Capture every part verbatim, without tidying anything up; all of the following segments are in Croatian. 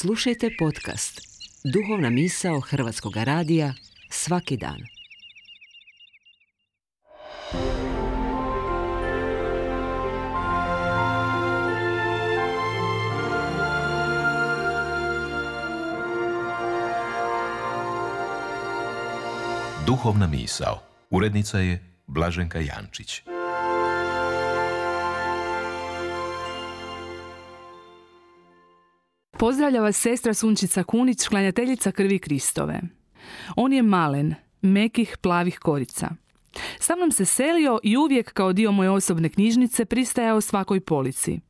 Slušajte podcast Duhovna misao Hrvatskog radija svaki dan. Duhovna misao. Urednica je Blaženka Jančić. Pozdravlja vas sestra Sunčica Kunić, klanjateljica krvi Kristove. On je malen, mekih plavih korica. Sa mnom se selio i uvijek kao dio moje osobne knjižnice pristajao svakoj polici.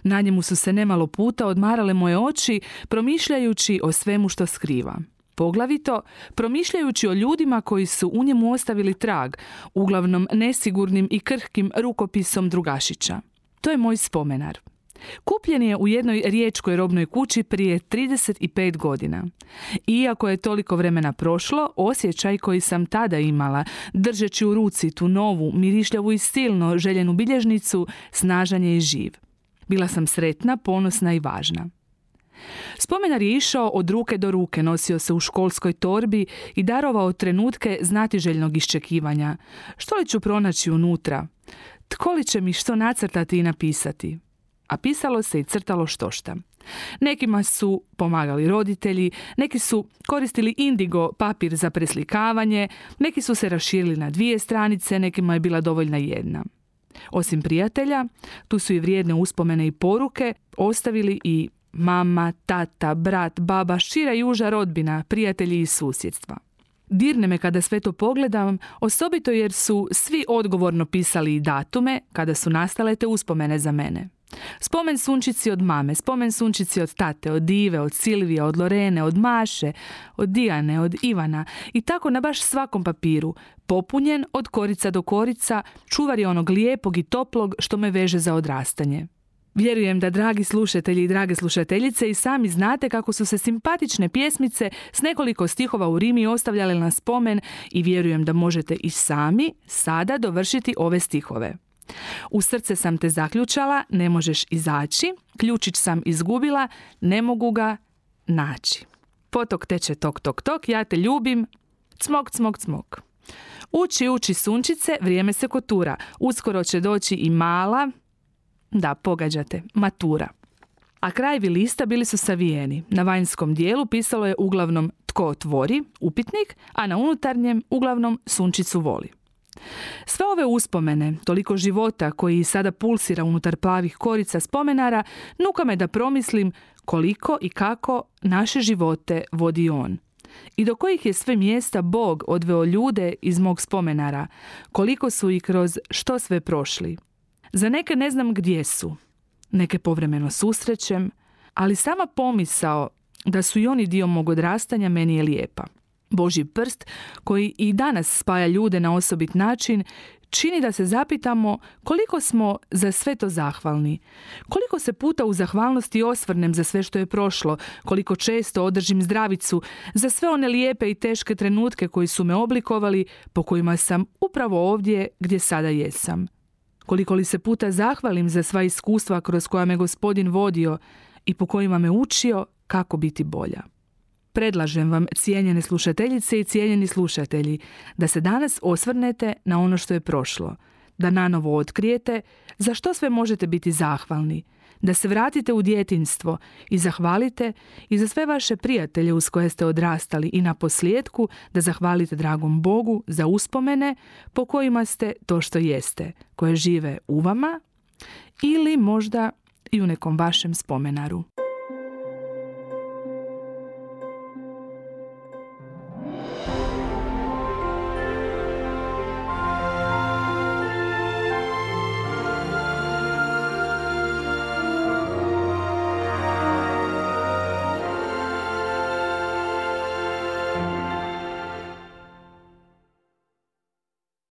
Na njemu su se nemalo puta odmarale moje oči, promišljajući o svemu što skriva. Poglavito, promišljajući o ljudima koji su u njemu ostavili trag, uglavnom nesigurnim i krhkim rukopisom drugašića. To je moj spomenar. Kupljen je u jednoj riječkoj robnoj kući prije trideset pet godina. Iako je toliko vremena prošlo, osjećaj koji sam tada imala, držeći u ruci tu novu, mirišljavu i silno željenu bilježnicu, snažan je i živ. Bila sam sretna, ponosna i važna. Spomenar je išao od ruke do ruke, nosio se u školskoj torbi i darovao trenutke znatiželjnog iščekivanja. Što li ću pronaći unutra? Tko li će mi što nacrtati i napisati? A pisalo se i crtalo štošta. Nekima su pomagali roditelji, neki su koristili indigo papir za preslikavanje, neki su se raširili na dvije stranice, nekima je bila dovoljna jedna. Osim prijatelja, tu su i vrijedne uspomene i poruke ostavili i mama, tata, brat, baba, šira i uža rodbina, prijatelji iz susjedstva. Dirne me kada sve to pogledam, osobito jer su svi odgovorno pisali i datume kada su nastale te uspomene za mene. Spomen Sunčici od mame, spomen Sunčici od tate, od Ive, od Silvije, od Lorene, od Maše, od Dijane, od Ivana i tako na baš svakom papiru, popunjen od korica do korica, čuvar je onog lijepog i toplog što me veže za odrastanje. Vjerujem da, dragi slušatelji i drage slušateljice, i sami znate kako su se simpatične pjesmice s nekoliko stihova u rimi ostavljale na spomen i vjerujem da možete i sami sada dovršiti ove stihove. U srce sam te zaključala, ne možeš izaći, ključić sam izgubila, ne mogu ga naći. Potok teče tok, tok, tok, ja te ljubim, cmok, cmok, cmok. Uči, uči sunčice, vrijeme se kotura, uskoro će doći i mala, da, pogađate, matura. A krajevi lista bili su savijeni. Na vanjskom dijelu pisalo je uglavnom tko otvori, upitnik, a na unutarnjem uglavnom Sunčicu voli. Sve ove uspomene, toliko života koji sada pulsira unutar plavih korica spomenara, nuka me da promislim koliko i kako naše živote vodi on. I do kojih je sve mjesta Bog odveo ljude iz mog spomenara, koliko su i kroz što sve prošli. Za neke ne znam gdje su, neke povremeno susrećem, ali sama pomisao da su i oni dio mog odrastanja meni je lijepa. Božji prst, koji i danas spaja ljude na osobit način, čini da se zapitamo koliko smo za sve to zahvalni. Koliko se puta u zahvalnosti osvrnem za sve što je prošlo, koliko često održim zdravicu za sve one lijepe i teške trenutke koji su me oblikovali, po kojima sam upravo ovdje gdje sada jesam. Koliko li se puta zahvalim za sva iskustva kroz koja me Gospodin vodio i po kojima me učio kako biti bolja. Predlažem vam, cijenjene slušateljice i cijenjeni slušatelji, da se danas osvrnete na ono što je prošlo, da nanovo otkrijete za što sve možete biti zahvalni, da se vratite u djetinjstvo i zahvalite i za sve vaše prijatelje uz koje ste odrastali i na posljetku da zahvalite dragom Bogu za uspomene po kojima ste to što jeste, koje žive u vama ili možda i u nekom vašem spomenaru.